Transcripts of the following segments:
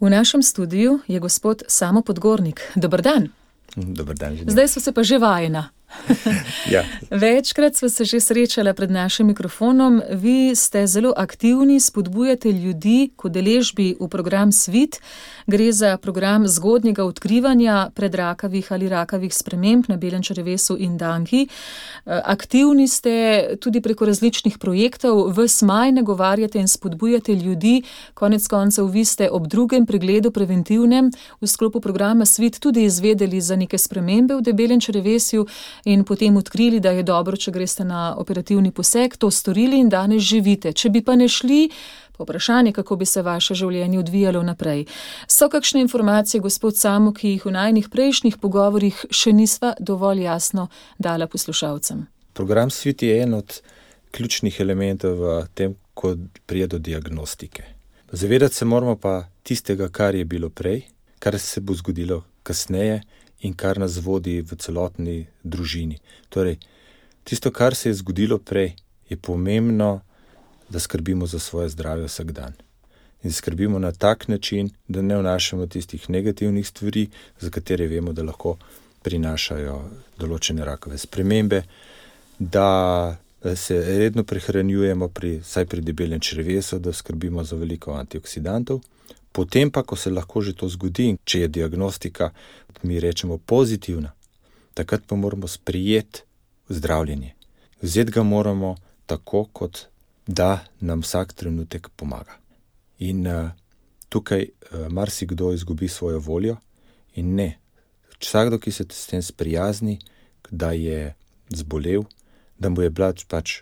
V našem studiu je gospod Samo Podgornik. Dober dan. Dober dan. Zdaj so se pa že vajena. Ja. Večkrat sva se že srečala pred našim mikrofonom. Vi ste zelo aktivni, spodbujate ljudi k udeležbi v program Svit. Gre za program zgodnjega odkrivanja predrakavih ali rakavih sprememb na belem črevesu in danki. Aktivni ste tudi preko različnih projektov. Ves maj nagovarjate in spodbujate ljudi. Konec koncev vi ste ob drugem pregledu preventivnem v sklopu programa Svit tudi izvedeli za neke spremembe v debelem črevesju in potem odkrili, da je dobro, če greste na operativni poseg, to storili in danes živite. Če bi pa ne šli, pa vprašanje, kako bi se vaše življenje odvijalo naprej. So kakšne informacije, gospod Samo, ki jih v najnih prejšnjih pogovorih še nisva dovolj jasno dala poslušalcem? Program Svit je en od ključnih elementov v tem, ko pride do diagnostike. Zavedati se moramo pa tistega, kar je bilo prej, kar se bo zgodilo kasneje in kar nas vodi v celotni družini. Torej, tisto, kar se je zgodilo prej, je pomembno, da skrbimo za svoje zdravje vsak dan. In skrbimo na tak način, da ne vnašamo tistih negativnih stvari, za katere vemo, da lahko prinašajo določene rakave spremembe, da se redno prehranjujemo vsaj pri debelem črevesu, da skrbimo za veliko antioksidantov. Potem pa, ko se lahko že to zgodi, če je diagnostika, mi rečemo pozitivna, takrat pa moramo sprejeti zdravljenje. Vzeti ga moramo tako, kot da nam vsak trenutek pomaga. In tukaj marsikdo izgubi svojo voljo in ne. Vsakdo, ki se s tem sprijazni, da je zbolel, da mu je bila pač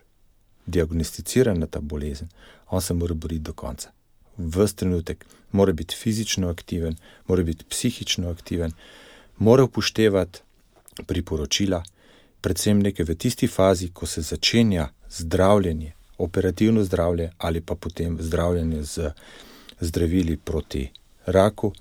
diagnosticirana ta bolezen, on se mora boriti do konca. Ves trenutek mora biti fizično aktiven, mora biti psihično aktiven, mora upoštevati priporočila, predvsem nekaj v tisti fazi, ko se začenja zdravljenje, operativno zdravljenje ali pa potem zdravljenje z zdravili proti raku,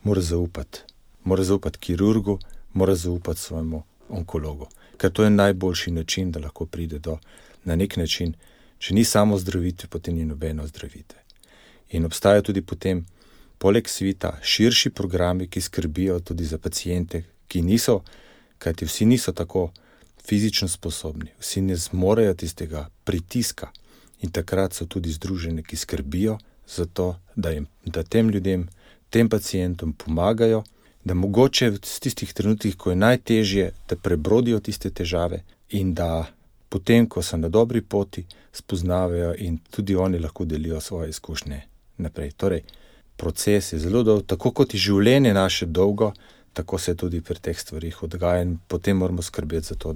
mora zaupati kirurgu, mora zaupati svojemu onkologu. Ker to je najboljši način, da lahko pride do, na nek način, če ni samo zdravitve, potem ni nobeno zdravitve. In obstajajo tudi potem, poleg Svita, širši programi, ki skrbijo tudi za paciente, kajti vsi niso tako fizično sposobni, vsi ne zmorejo tistega pritiska in takrat so tudi združeni, ki skrbijo za to, da tem ljudem, tem pacientom pomagajo, da mogoče v tistih trenutkih, ko je najtežje, da prebrodijo tiste težave in da potem, ko so na dobri poti, spoznavajo in tudi oni lahko delijo svoje izkušnje naprej. Torej, proces je zelo dolg, tako kot je življenje naše dolgo, tako se tudi pri teh stvarih odgaja in potem moramo skrbeti za to,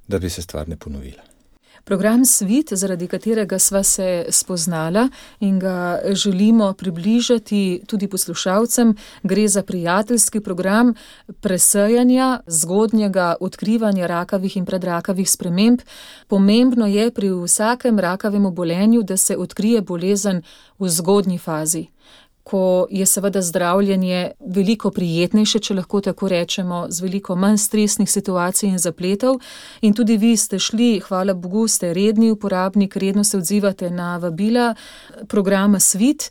da bi se stvar ne ponovila. Program Svit, zaradi katerega sva se spoznala in ga želimo približati tudi poslušalcem, gre za prijateljski program presejanja, zgodnjega odkrivanja rakavih in predrakavih sprememb. Pomembno je pri vsakem rakavem obolenju, da se odkrije bolezen v zgodnji fazi, ko je seveda zdravljenje veliko prijetnejše, če lahko tako rečemo, z veliko manj stresnih situacij in zapletov. In tudi vi ste šli, hvala Bogu, ste redni uporabnik, redno se odzivate na vabila programa Svit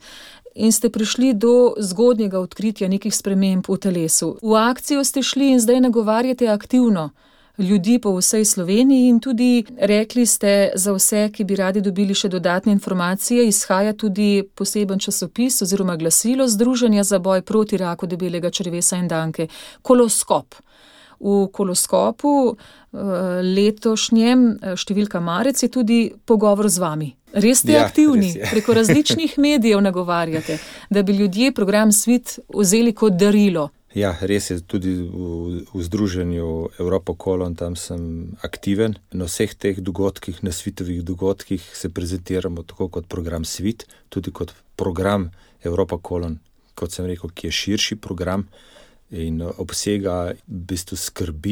in ste prišli do zgodnjega odkritja nekih sprememb v telesu. V akcijo ste šli in zdaj nagovarjate aktivno ljudi po vsej Sloveniji in tudi rekli ste za vse, ki bi radi dobili še dodatne informacije, izhaja tudi poseben časopis oziroma glasilo Združenja za boj proti raku debelega črevesa in danke, Koloskop. V Koloskopu letošnjem številka marec je tudi pogovor z vami. Res ste aktivni, res je. Preko različnih medijev nagovarjate, da bi ljudje program Svit vzeli kot darilo. Ja, res je, tudi v združenju Europa Colon, tam sem aktiven. Na vseh teh dogodkih, na svitovih dogodkih se prezentiramo tako kot program Svit, tudi kot program Europa Colon, kot sem rekel, ki je širši program in obsega v bistvu skrb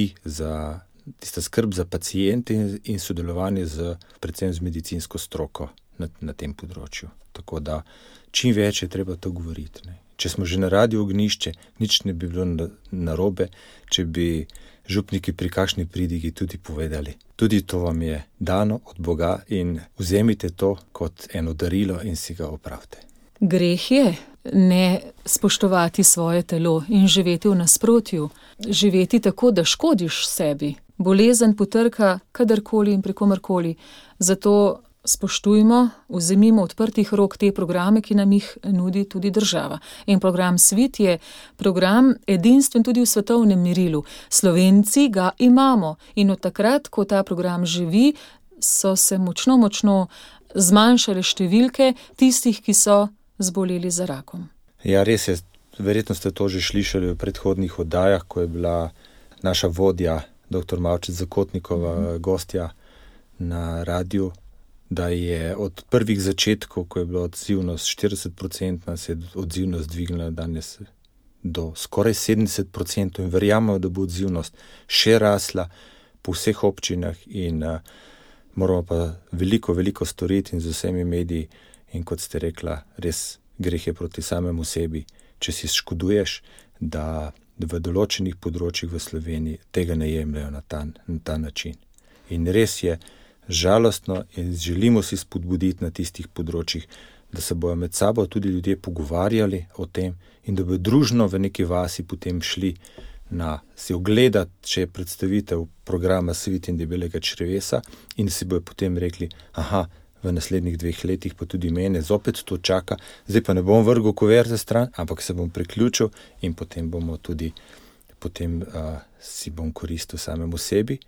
za paciente in sodelovanje predvsem z medicinsko stroko na tem področju. Tako da čim več je treba to govoriti, ne. Če smo že na Radiu Ognjišče, nič ne bi bilo narobe, če bi župniki pri kakšni pridigi tudi povedali. Tudi to vam je dano od Boga in vzemite to kot eno darilo in si ga opravite. Greh je ne spoštovati svoje telo in živeti v nasprotju, živeti tako, da škodiš sebi. Bolezen potrka kadarkoli in pri komerkoli. Zato spoštujmo, vzemimo odprtih rok te programe, ki nam jih nudi tudi država. In program Svit je program edinstven tudi v svetovnem merilu. Slovenci ga imamo in od takrat, ko ta program živi, so se močno zmanjšale številke tistih, ki so zboleli za rakom. Ja, res je. Verjetno ste to že slišali v predhodnih oddajah, ko je bila naša vodja, dr. Mavčec Zakotnikova, gostja na radiju, da je od prvih začetkov, ko je bila odzivnost 40%, se je odzivnost dvignila danes do skoraj 70% in verjamemo, da bo odzivnost še rasla po vseh občinah in moramo pa veliko storiti in z vsemi mediji in kot ste rekla, res greh je proti samemu sebi, če si škoduješ, da v določenih področjih v Sloveniji tega ne jemljajo na ta način. In res je žalostno in želimo si spodbuditi na tistih področjih, da se bojo med sabo tudi ljudje pogovarjali o tem in da bojo družno v neki vasi potem šli si ogledati, če je predstavitev programa Svit in debelega črevesa in si bojo potem rekli, v naslednjih 2 letih pa tudi mene zopet to čaka, zdaj pa ne bom vrgel kuverte stran, ampak se bom priključil in potem si bom koristil samemu sebi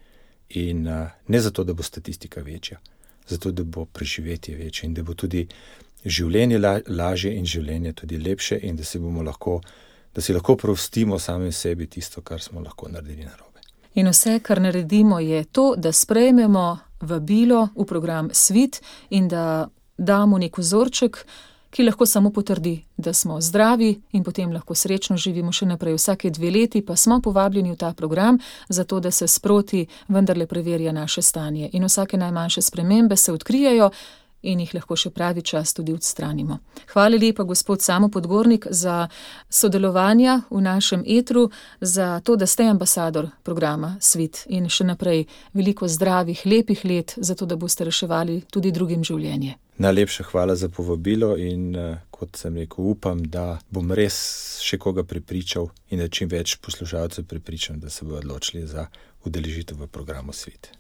in ne zato, da bo statistika večja, zato, da bo preživetje večje in da bo tudi življenje lažje in življenje tudi lepše in da si lahko prostimo samim sebi tisto, kar smo lahko naredili narobe. In vse, kar naredimo, je to, da sprejmemo vabilo v program Svit in da damo nek vzorček, ki lahko samo potrdi, da smo zdravi in potem lahko srečno živimo še naprej. Vsake 2 leti pa smo povabljeni v ta program, zato da se sproti vendarle preverja naše stanje. In vsake najmanjše spremembe se odkrijejo in jih lahko še pravi čas tudi odstranimo. Hvala lepa, gospod Samo Podgornik, za sodelovanja v našem etru, za to, da ste ambasador programa Svit in še naprej veliko zdravih, lepih let, zato da boste reševali tudi drugim življenje. Najlepša hvala za povabilo in kot sem rekel, upam, da bom res še koga prepričal in da čim več poslušalcev prepričam, da se bodo odločili za udeležitev v programu Svit.